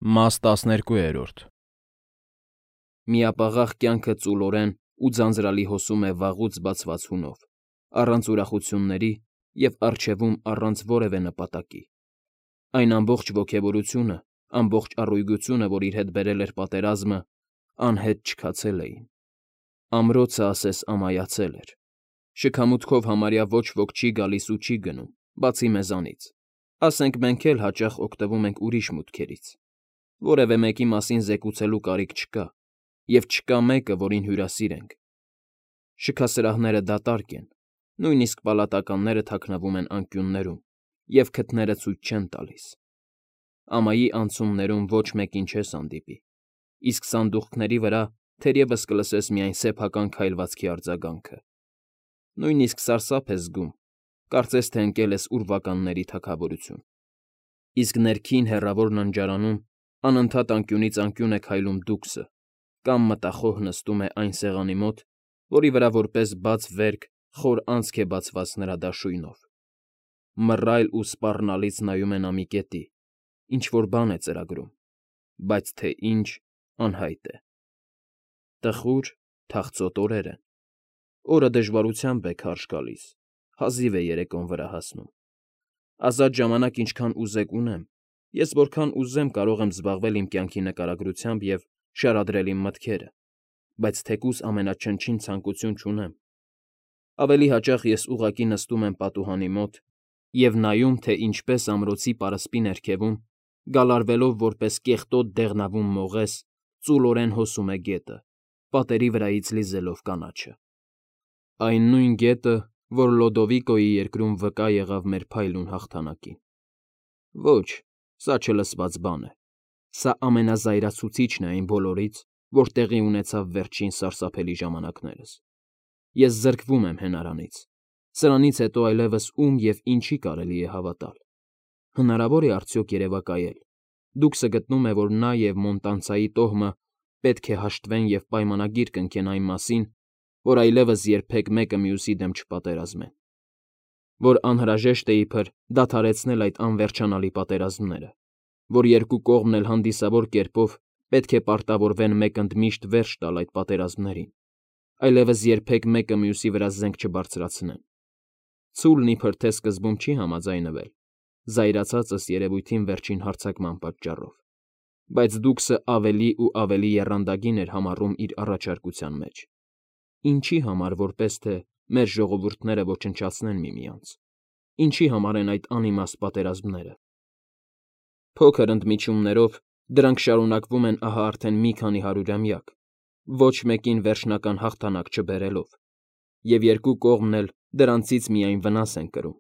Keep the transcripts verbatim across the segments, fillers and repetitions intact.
Մաս տասներկու։ Միապաղաղ կյանքը ծուլորեն ու ձանձրալի հոսում է վաղուց բացված հունով, առանց ուրախությունների և առջևում առանց որևէ նպատակի. այն ամբողջ ոգևորությունը, ամբողջ առույգությունը, որ իր հետ բերել էր պատերազմը, անհետ չքացել էին. ամրոցը ասես ամայացել էր, շքամուտքով համարյա ոչ ոք չի գալիս ու չի գնում, բացի մեզանից, ասենք մենք էլ հաճախ օգտվում ենք ուրիշ մուտքերից, որևէ մեկի մասին զեկուցելու կարիք չկա, և չկա մեկը, որին հյուրասիրենք. շքասրահները դատարկ են, նույնիսկ պալատականները թաքնվում են անկյուններում, և քթները ցույց չեն տալիս. ամայի անցումներում ոչ մեկին չես հանդիպի, իսկ սանդուղքների վրա թերևս կլսես միայն սեփական քայլվածքի արձագանքը, նույնիսկ սարսափ ես զգում, կարծես թե ընկել ես ուրվականների թագավորություն, իսկ ներքին հեռավոր ննջարանում անընդհատ անկյունից անկյուն է քայլում դուքսը կամ մտախոհ նստում է այն սեղանի մոտ, որի վրա որպես բաց վերք խոր անցք է բացված նրա դաշույնով, մռայլ ու սպառնալից նայում է նա մի կետի, ինչ֊որ բան է ծրագրում, բայց թե ինչ, անհայտ է. տխուր, թախծոտ օրեր են, օրը դժվարությամբ է քարշ գալիս, հազիվ է երեկոն վրա հասնում, ազատ ժամանակ ինչքան ուզեք ունեմ, ես որքան ուզեմ կարող եմ զբաղվել իմ կյանքի նկարագրությամբ և շարադրել իմ մտքերը, բայց թեկուզ ամենաչնչին ցանկություն չունեմ, ավելի հաճախ ես ուղղակի նստում եմ պատուհանի մոտ և նայում, թե ինչպես ամրոցի պարսպի ներքևում, գալարվելով որպես կեղտոտ դեղնավուն մողես, ծուլորեն հոսում է գետը, պատերի վրայից լիզելով կանաչը, այն նույն գետը, որ Լոդովիկոյի երկրում վկա եղավ մեր փայլուն հաղթանակին, ոչ, սա չլսված բան է, սա ամենազայրացուցիչն է այն բոլորից, որ տեղի ունեցավ վերջին սարսափելի ժամանակներս, ես զրկվում եմ հենարանից, սրանից հետո այլևս ում և ինչի կարելի է հավատալ, հնարավոր է արդյոք երևակայել, դուքսը գտնում է, որ նա և Մոնտանցայի տոհմը պետք է հաշտվեն և պայմանագիր կնքեն այն մասին, որ այլևս երբեք մեկը մյուսի դեմ չպատերազմեն, որ անհրաժեշտ է իբր դադարեցնել այդ անվերջանալի պատերազմները, որ երկու կողմն էլ հանդիսավոր կերպով պետք է պարտավորվեն մեկընդմիշտ վերջ տալ այդ պատերազմներին, այլևս երբեք մեկը մյուսի վրա զենք չբարձրացնեն, ցուլն իբր թե սկզբում չի համաձայնվել, զայրացածս երևույթին վերջին հարձակման պատճառով, բայց դուքսը ավելի ու ավելի եռանդագին էր համառում իր առաջարկության մեջ, ինչի համար որպես թե մեր ժողովուրդները ոչնչացնեն միմյանց, ինչի համար են այդ անիմաստ պատերազմները, փոքր ընդմիջումներով դրանք շարունակվում են ահա արդեն մի քանի հարյուրամյակ, ոչ մեկին վերջնական հաղթանակ չբերելով, և երկու կողմն էլ դրանցից միայն վնաս են կրում,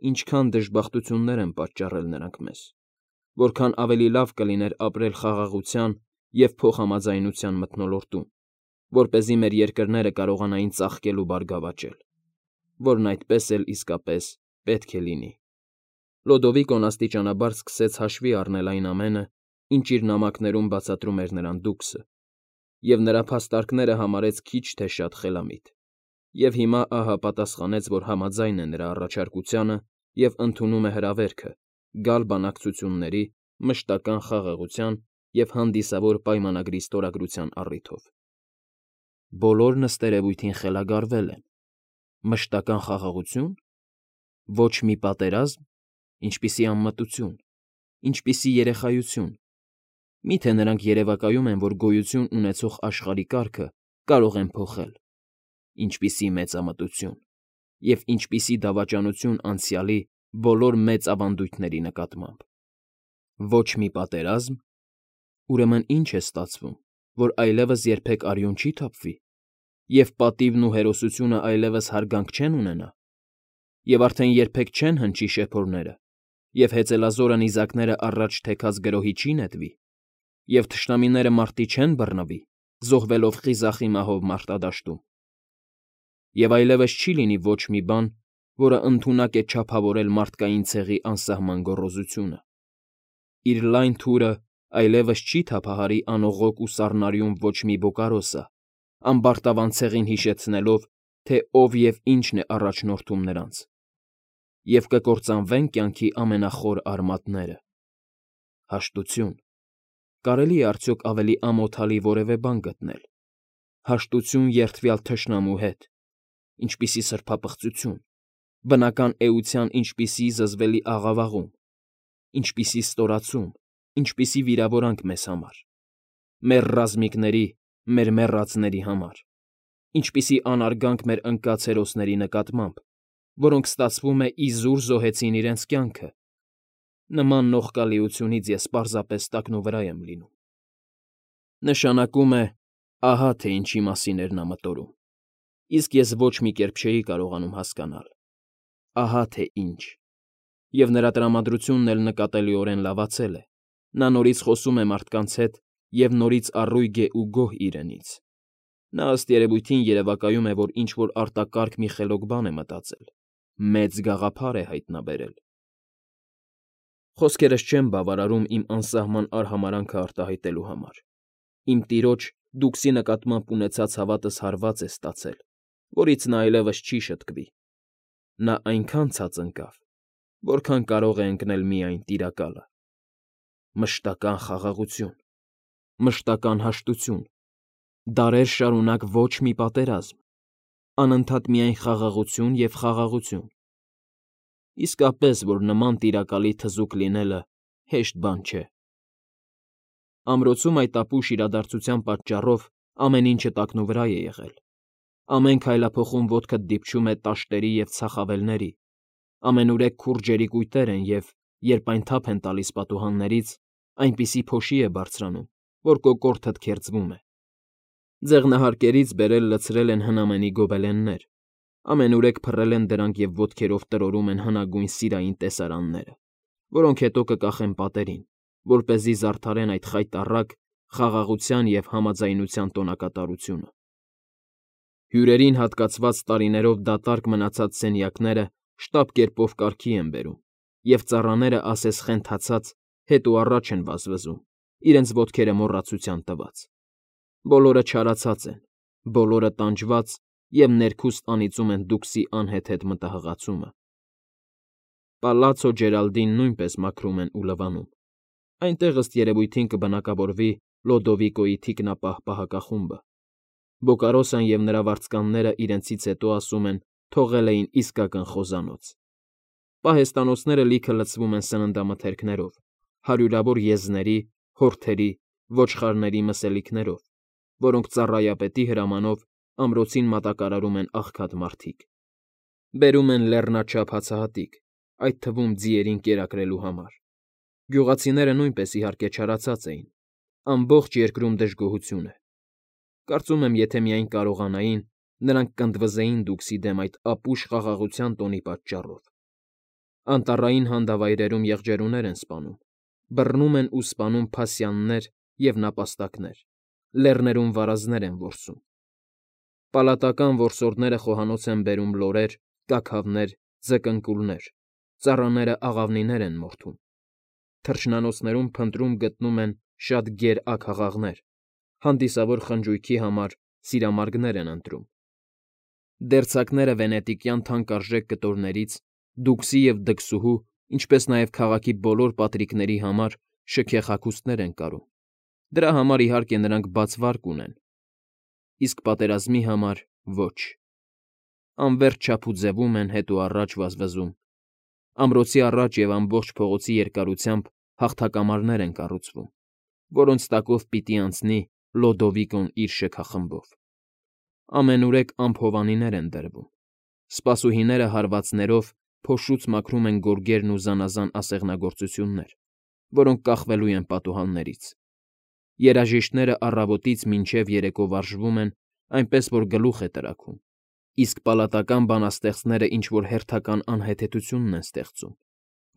ինչքան դժբախտություններ են պատճառել նրանք մեզ, որքան ավելի լավ կլիներ ապրել խաղաղության և փոխհամաձայնության մթնոլորտում, որպեսզի մեր երկրները կարողանային ծաղկել ու բարգավաճել, որն այդպես էլ իսկապես պետք է լինի։ Լոդովիկոն աստիճանաբար սկսեց հաշվի առնել այն ամենը, ինչ իր նամակներում բացատրում էր նրան դուքսը, և նրա փաստարկները համարեց քիչ թե շատ խելամիտ, և հիմա ահա պատասխանեց, որ համաձայն է նրա առաջարկությանը և ընդունում է հրավերքը գալ բանակցությունների, մշտական խաղաղության և հանդիսավոր պայմանագրի ստորագրության առիթով։ Բոլոր նստերևույթին խելագարվել են, մշտական խաղաղությո՞ւն, ոչ մի պատերազմ, ինչպիսի անմտություն, ինչպիսի երեխայություն, մի՞թե նրանք երևակայում են, որ գոյություն ունեցող աշխարհի կարգը կարող են փոխել, ինչպիսի մեծամտություն և ինչպիսի դավաճանություն անցյալի բոլոր մեծ ավանդույթների նկատմամբ, ոչ մի պատերազմ, ուրեմն ի՞նչ է ստացվում, որ այլևս երբեք արյուն չի թափվի, և պատիվն ու հերոսությունը այլևս հարգանք չեն ունենա, և արդեն երբեք չեն հնչի շեփորները, և հեծելազորը նիզակները առաջ թեքած գրոհի չի նետվի, և թշնամիները մարտի չեն բռնվի, զոհվելով խիզախի մահով մարտադաշտում, և այլևս չի լինի ոչ մի բան, որը ընդունակ է չափավորել մարդկային ցեղի անսահման գոռոզությունը, իր լայն թուրը այլևս չի թափահարի անողոք ու սառնարյուն ոչ մի բոկարոսը, ամբարտավան ցեղին հիշեցնելով, թե ով և ինչն է առաջնորդում նրանց, և կկործանվեն կյանքի ամենախոր արմատները՝ հաշտություն, Կարելի է արդյոք ավելի ամոթալի որևէ բան գտնել. հաշտություն երդվյալ թշնամու հետ, ինչպիսի սրբապղծություն, բնական էության ինչպիսի զզվելի աղավաղում, ինչպիսի ստորացում, ինչպիսի վիրավորանք մեզ համար, մեր ռազմիկների, մեր մեռածների համար, ինչպիսի անարգանք մեր ընկած հերոսների նկատմամբ, որոնք ստացվում է իզուր զոհեցին իրենց կյանքը, նման նողկալիությունից ես պարզապես տակնուվրա եմ լինում։ Նշանակում է, ահա թե ինչի մասին էր նա մտորում, իսկ ես ոչ մի կերպ չէի կարողանում հասկանալ, ահա թե ինչ, և նրա տրամադրությունն էլ նկատելիորեն լավացել է, նա նորից խոսում է մարդկանց հետ և նորից առույգ է ու գոհ իրենից։ Նա ըստ երևույթին երևակայում է, որ ինչ֊որ արտակարգ մի խելոք բան է մտածել, մեծ գաղափար է հայտնաբերել։ Խոսքերս չեմ բավարարում իմ անսահման արհամարհանքը արտահայտելու համար։ Իմ տիրոջ դուքսի նկատմամբ ունեցած հավատս հարված է ստացել, որից նա այլևս չի շտկվի։ Նա այնքան ցած ընկավ, որքան կարող է ընկնել միայն Տիրակալը։ Մշտական խաղաղություն, մշտական հաշտություն, դարեր շարունակ ոչ մի պատերազմ, անընդհատ միայն խաղաղություն և խաղաղություն։ Իսկապես, որ նման Տիրակալի թզուկ լինելը հեշտ բան չէ։ Ամրոցում այդ ապուշ իրադարձության պատճառով ամեն ինչը տակնուվրա է եղել։ Ամեն քայլափոխում ոտքդ դիպչում է տաշտերի և ցախավելների, ամենուրեք քուր ջերի կույտեր են և, երբ այն թափ են տալիս պատուհաններից, այնպիսի փոշի է բարձրանում, որ կոկորդդ քերծվում է։ Ձեղնահարկերից բերել լցրել են հնամենի գոբելեններ, ամենուրեք փռել են դրանք և ոտքերով տրորում են հնագույն սիրային տեսարանները, որոնք հետո կկախեն պատերին, որպեսզի զարդարեն այդ խայտառակ, խաղաղության և համաձայնության տոնակատարությունը։ Հյուրերին հատկացված տարիներով դատարկ մնացած սենյակները շտապ կերպով կարգի են բերում, և ծառաները ասես խենթացած հետ ու առաջ են վազվզում, իրենց ոտքերը մոռացության տված։ Բոլորը չարացած են, բոլորը տանջված և ներքուստ անիծում են դուքսի անհեթեթ մտահղացումը։ Պալացո Ջերալդին նույնպես մաքրում են ու լվանում։ Այնտեղ ըստ երևույթին կբնակավորվի Լոդովիկոյի թիկնապահ պահակախումբը։ Բոկարոսան և նրա վարձկանները իրենցից հետո, ասում են, թողել էին իսկական խոզանոց։ Պահեստանոցները լիքը լցվում են սննդամթերքներով, հարյուրավոր եզների, հորթերի, ոչխարների մսելիքներով, որոնք ծառայապետի հրամանով ամրոցին մատակարարում են աղքատ մարդիկ։ Բերում են լեռնաչափ հացահատիկ, այդ թվում ձիերին կերակրելու համար։ Գյուղացիները նույնպես, իհարկե, չարացած էին, ամբողջ երկրում դժգոհություն է։ Կարծում եմ, եթե միայն կարողանային, նրանք կընդվզեին դուքսի դեմ այդ ապուշ խաղաղության տոնի պատճառով։ Անտառային հանդավայրերում եղջերուներ են սպանում, բռնում են ու սպանում փասյաններ և նապաստակներ, լեռներում վարազներ են որսում։ Պալատական որսորդները խոհանոց են բերում լորեր, կաքավներ, ձկնկուլներ, ծառաները աղավնիներ են մորթում։ Թռչնանոցներում փնտրում գտնում են շատ գեր աքաղաղներ, հանդիսավոր խնջույքի համար սիրամարգներ են ընտրում։ Դերձակները վենետիկյան թանկարժեք կտորներից, դուքսի և դքսուհու, ինչպես նաև քաղաքի բոլոր պատրիկների համար շքեղ հագուստներ են կարում։ Դրա համար, իհարկե, նրանք բաց վարկ ունեն, իսկ պատերազմի համար՝ ոչ։ Անվերջ չափուձևում են, հետ ու առաջ վազվզում։ Ամրոցի առաջ և ամբողջ փողոցի երկարությամբ հաղթակամարներ են կառուցվում, որոնց տակով պիտի անցնի Լոդովիկոն իր շքախմբով։ Ամենուրեք ամփովանիներ են դրվում։ Սպասուհիները հարվածներով փոշուց մաքրում են գորգերն ու զանազան ասեղնագործություններ, որոնք կախվելու են պատուհաններից։ Երաժիշտները առավոտից մինչև երեկո վարժվում են, այնպես որ գլուխ է տրաքում, իսկ պալատական բանաստեղծները ինչ֊որ հերթական անհեթեթությունն են ստեղծում,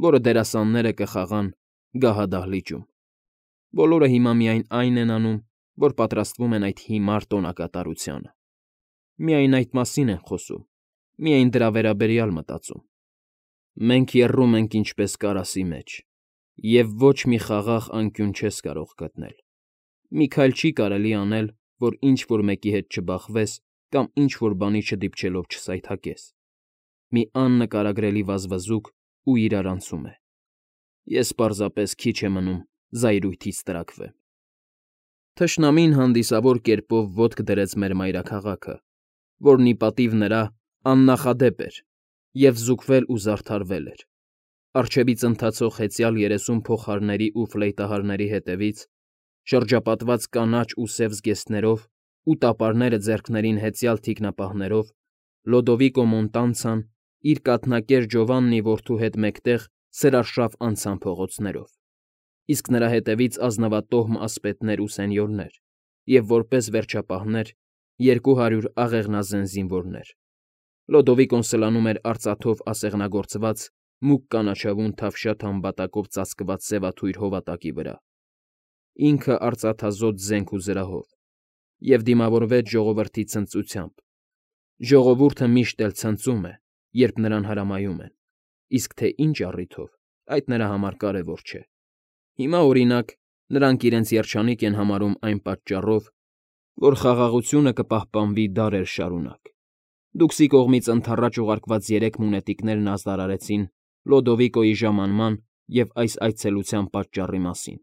որը դերասանները կխաղան գահադահլիճում։ Բոլորը հիմա միայն այն են անում, որ պատրաստվում են այդ հիմար տոնակատարությանը։ Միայն այդ մասին են խոսում, միայն դրա վերաբերյալ մտածում։ Մենք եռում ենք ինչպես կարասի մեջ, և ոչ մի խաղաղ անկյուն չես կարող գտնել։ Մի քայլ չի կարելի անել, որ ինչ֊որ մեկի հետ չբախվես կամ ինչ֊որ բանի չդիպչելով չսայթաքես։ Մի աննկարագրելի վազվզուկ ու իրարանցում է։ Ես պարզապես քիչ է մնում զայրույթից տրաքվեմ։ Թշնամին հանդիսավոր կերպով ոտք դրեց մեր մայրաքաղաքը, որն ի պատիվ նրա աննախադեպ էր և զուգվել ու զարդարվել էր. առջևից ընթացող հեծյալ երեսուն փողահարների ու ֆլեյտահարների հետևից, շրջապատված կանաչ ու սև զգեստներով ու տապարները ձեռքներին հեծյալ թիկնապահներով, Լոդովիկո Մոնտանցան իր կաթնակեր Ջովաննի որդու հետ մեկտեղ սրարշավ անցան փողոցներով, իսկ նրա հետևից ազնվատոհմ ասպետներ ու սենյորներ և, որպես վերջապահներ, երկու հարյուր աղեղնազեն զինվորներ. Լոդովիկոն սլանում էր արծաթով ասեղնագործված մուգ կանաչավուն թավշյա թամբատակով ծածկված սևաթույր հովատակի վրա, ինքը արծաթազոտ զենք ու զրահով, և դիմավորվեց ժողովրդի ցնծությամբ. ժողովուրդը միշտ էլ ցնծում է, երբ նրան հրամայում են, իսկ թե ինչ առիթով, այդ նրա համար կարևոր չէ. հիմա, օրինակ, նրանք իրենց երջանիկ են համարում այն պատճառով, որ խաղաղությունը կպահպանվի դարեր շարունակ. Դուքսի կողմից ընդառաջ ուղարկված երեք մունետիկներն ազդարարեցին Լոդովիկոյի ժամանման և այս այցելության պատճառի մասին,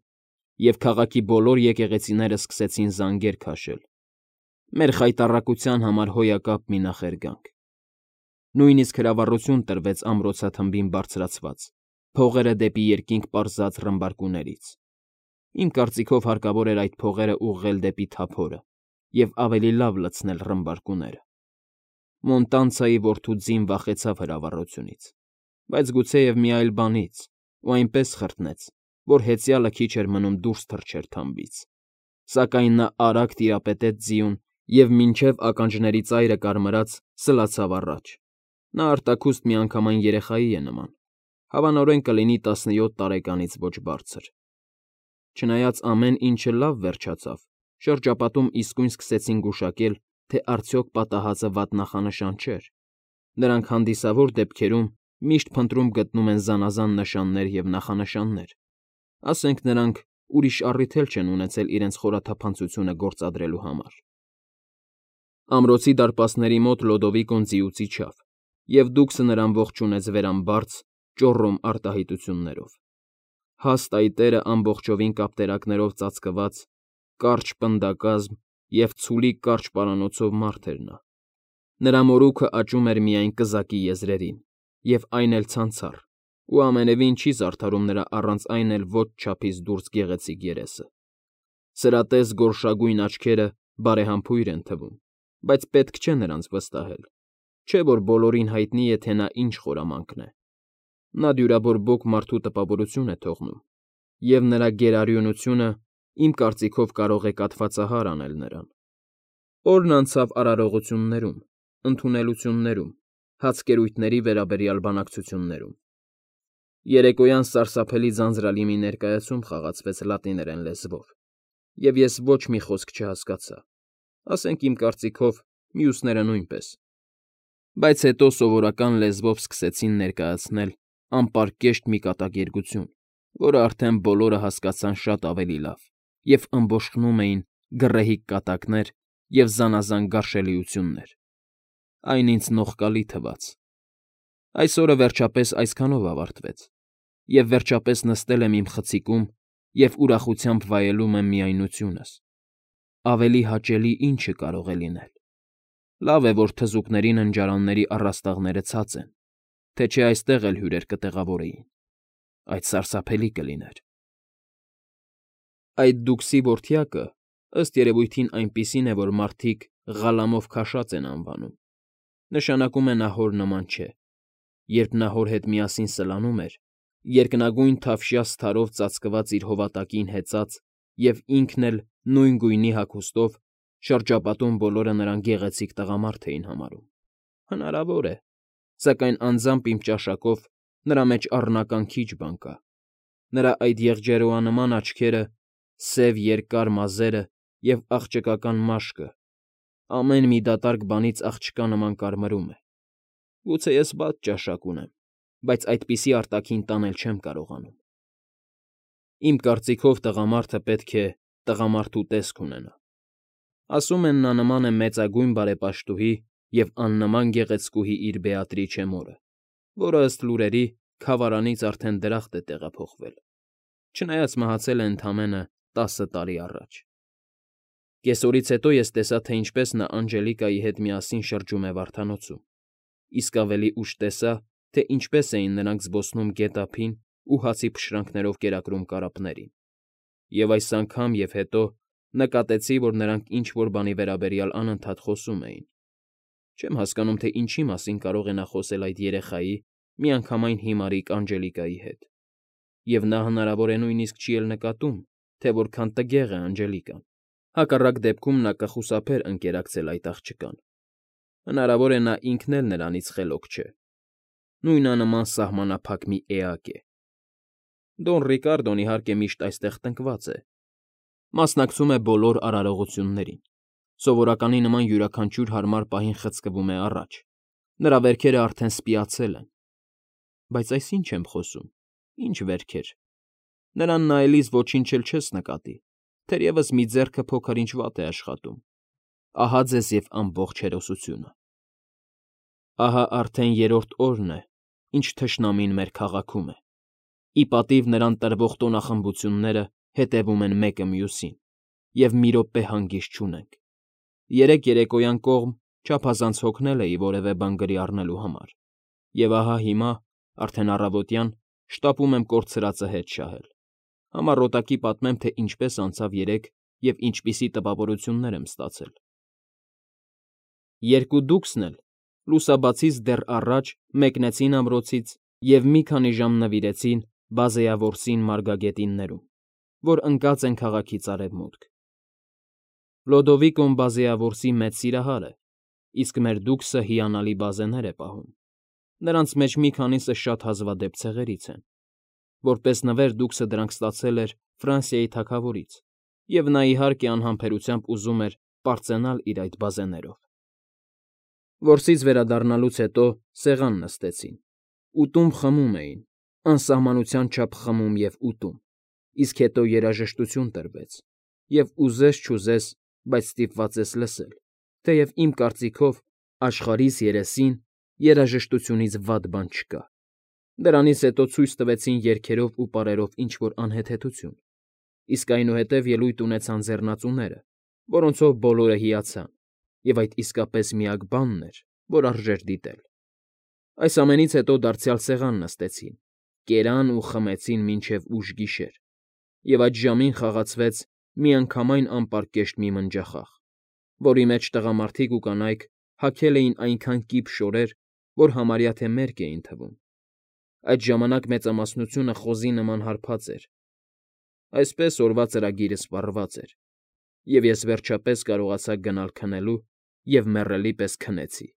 և քաղաքի բոլոր եկեղեցիները սկսեցին զանգեր քաշել. մեր խայտառակության համար հոյակապ մի նախերգանք. նույնիսկ հրավառություն տրվեց ամրոցաթմբին բարձրացված, փողերը դեպի երկինք պարզած ռմբարկուներից. իմ կարծիքով հարկավոր էր այդ փողերը ուղղել դեպի թափորը և ավելի լավ լցնել ռմբարկուները. Մոնտանցայի որդու ձին վախեցավ հրավառությունից, բայց գուցեև մի այլ բանից, ու այնպես խրտնեց, որ հեծյալը քիչ էր մնում դուրս թռչեր թամբից, սակայն նա արագ տիրապետեց ձիուն և մինչև ականջների ծայրը կարմրած սլացավ առաջ. նա արտաքուստ միանգամայն երեխայի է նման, հավանորեն կլինի տասնյոթ տարեկանից ոչ բարձր. Չնայած ամեն ինչը լավ վերջացավ, շրջապատում իսկույն սկսեցին գուշակել, թե արդյոք պատահածը վատ նախանշան չէր. նրանք հանդիսավոր դեպքերում միշտ փնտրում գտնում են զանազան նշաններ և նախանշաններ, ասենք նրանք ուրիշ առիթ էլ չեն ունեցել իրենց խորաթափանցությունը գործադրելու համար. Ամրոցի դարպասների մոտ Լոդովիկոն ձիուց իջավ, և դուքսը նրան ողջունեց վերամբարձ, ճոռոմ արտահայտություններով. հաստ այտերը ամբողջովին կապտերակներով ծածկված, կարճ պնդակազմ և ցուլի կարճ պարանոցով մարդ էր նա. նրա մորուքը աճում էր միայն կզակի եզրերին, և այն էլ ցանցառ, ու ամենևին չի զարդարում նրա առանց այն էլ ոչ չափից դուրս գեղեցիկ երեսը. սրատես գորշագույն աչքերը բարեհամբույր են թվում, բայց պետք չէ նրանց վստահել, չէ՞ որ բոլորին հայտնի է, թե նա ինչ խորամանկ է. նա դյուրաբորբոք մարդու տպավորություն է թողնում, և նրա գերարյունությունը, իմ կարծիքով, կարող է կաթվածահար անել նրան. օրն անցավ արարողություններում, ընդունելություններում, հացկերույթների վերաբերյալ բանակցություններում. երեկոյան սարսափելի ձանձրալի մի ներկայացում խաղացվեց լատիներեն լեզվով, և ես ոչ մի խոսք չհասկացա, ասենք իմ կարծիքով, մյուսները նույնպես, բայց հետո սովորական լեզվով սկսեցին ներկայացնել անպարկեշտ մի կատակերգություն, որը արդեն բոլորը հասկացան շատ ավելի լավ, և ըմբոշխնում էին գռեհիկ կատակներ և զանազան գարշելիություններ. այն ինձ նողկալի թվաց. այսօրը վերջապես այսքանով ավարտվեց, և վերջապես նստել եմ իմ խցիկում և ուրախությամբ վայելում եմ միայնությունս. ավելի հաճելի ի՞նչը կարող է լինել. լավ է, որ թզուկների ննջարանների առաստաղները ցած են, թե չէ այստեղ էլ հյուրեր կտեղավորեին. այդ սարսափելի կլիներ։ Այդ դուքսի որդյակը, ըստ երևույթին, այնպիսին է, որ մարդիկ Ղալամով քաշած են անվանում, նշանակում է նա հոր նման չէ. երբ նա հոր հետ միասին սլանում էր, երկնագույն թավշյա սթարով ծածկված իր հովատակին հեծած և ինքն էլ նույն գույնի հագուստով, շրջապատում բոլորը նրան գեղեցիկ տղամարդ էին համարում. հնարավոր է, սակայն անձամբ իմ ճաշակով նրա մեջ առնական քիչ բան կա. նրա այդ եղջերուանման աչքերը, սև երկար մազերը և աղջկական մաշկը, ամեն մի դատարկ բանից աղջկա նման կարմրում է. գուցե ես վատ ճաշակ ունեմ, բայց այդպիսի արտաքին տանել չեմ կարողանում. իմ կարծիքով տղամարդը պետք է տղամարդու տեսք ունենա. ասում են, նա նման է մեծագույն բարեպաշտուհի և աննման գեղեցկուհի իր Բեատրիչե մորը, որը, ըստ լուրերի, քավարանից արդեն դրախտ է տեղափոխվել, չնայած մահացել է ընդամենը տասը տարի առաջ։ Կեսօրից հետո ես տեսա, թե ինչպես նա Անջելիկայի հետ միասին շրջում է վարդանոցում, իսկ ավելի ուշ տեսա, թե ինչպես էին նրանք զբոսնում գետ ափին ու հացի փշրանքներով կերակրում կարապներին, և այս անգամ և հետո նկատեցի, որ նրանք ինչ֊որ բանի վերաբերյալ անընդհատ խոսում էին. չեմ հասկանում, թե ինչի մասին կարող է նա խոսել այդ երեխայի, միանգամայն հիմարիկ Անջելիկայի հետ, և նա հնարավոր է նույնիսկ չի էլ նկատում, թե որքան տգեղ է Անջելիկան, հակառակ դեպքում նա կխուսափեր ընկերակցել այդ աղջկան, հնարավոր է նա ինքն էլ նրանից խելոք չէ, նույնանման սահմանափակ մի էակ է։ Դոն Ռիկարդոն, իհարկե, միշտ այստեղ տնկված է, մասնակցում է բոլոր արարողություններին, սովորականի նման յուրաքանչյուր հարմար պահին խցկվում է առաջ, նրա վերքերը արդեն սպիացել են, բայց այս ի՞նչ եմ խոսում, ի՞նչ վերքեր, նրան նայելիս ոչինչ էլ չես նկատի, թերևս մի ձեռքը փոքր-ինչ վատ է աշխատում, ահա ձեզ և ամբողջ հերոսությունը։ Ահա արդեն երրորդ օրն է, ինչ թշնամին մեր քաղաքում է, ի պատիվ նրան տրվող տոնախմբությունները հետևում են մեկը մյուսին, և մի րոպե հանգիստ չունենք։ Երեկ երեկոյան կողմ չափազանց հոգնել էի որևէ բան գրի առնելու համար, և ահա հիմա, արդեն առավոտյան, շտապում եմ կորցրածը հետ շահել, համառոտակի պատմեմ, թե ինչպես անցավ երեկ և ինչպիսի տպավորություններ եմ ստացել։ Երկու դուքսն էլ լուսաբացից դեռ առաջ մեկնեցին ամրոցից և մի քանի ժամ նվիրեցին Բազեավորսին մարգագետիններում, որ ընկած են քաղաքից արևմուտք։ Լոդովիկոն Բազեավորսի մեծ սիրահար է, իսկ մեր դուքսը հիանալի բազեներ է պահում, նրանց մեջ մի քանիսը շատ հազվադեպ ցեղերից են, որպես նվեր դուքսը դրանք ստացել էր Ֆրանսիայի թագավորից, և նա, իհարկե, անհամբերությամբ ուզում էր պարծենալ իր այդ բազեներով։ Որսից վերադառնալուց հետո սեղան նստեցին, ուտում խմում էին, անսահմանության չափ խմում և ուտում, իսկ հետո երաժշտություն տրվեց, և ուզես֊չուզես, բայց ստիպված ես լսել, թեև իմ կարծիքով աշխարհիս երեսին երաժշտությունից վատ բան չկա։ Դրանից հետո ցույց տվեցին երգերով ու պարերով ինչ֊որ անհեթեթություն, իսկ այնուհետև ելույթ ունեցան ձեռնածուները, որոնցով բոլորը հիացան, և այդ իսկապես միակ բանն էր, որ արժեր դիտել։ Այս ամենից հետո դարձյալ սեղան նստեցին, կերան ու խմեցին մինչև ուշ գիշեր, և այդ ժամին խաղացվեց միանգամայն անպարկեշտ մի մնջախաղ, որի մեջ տղամարդիկ ու կանայք հագել էին այնքան կիպ շորեր, որ համարյա թե մերկ էին թվում։ Այդ ժամանակ մեծամասնությունը խոզի նման հարբած էր, այսպես օրվա ծրագիրը սպառված էր, և ես վերջապես կարողացա գնալ քնելու և մեռելի պես քնեցի։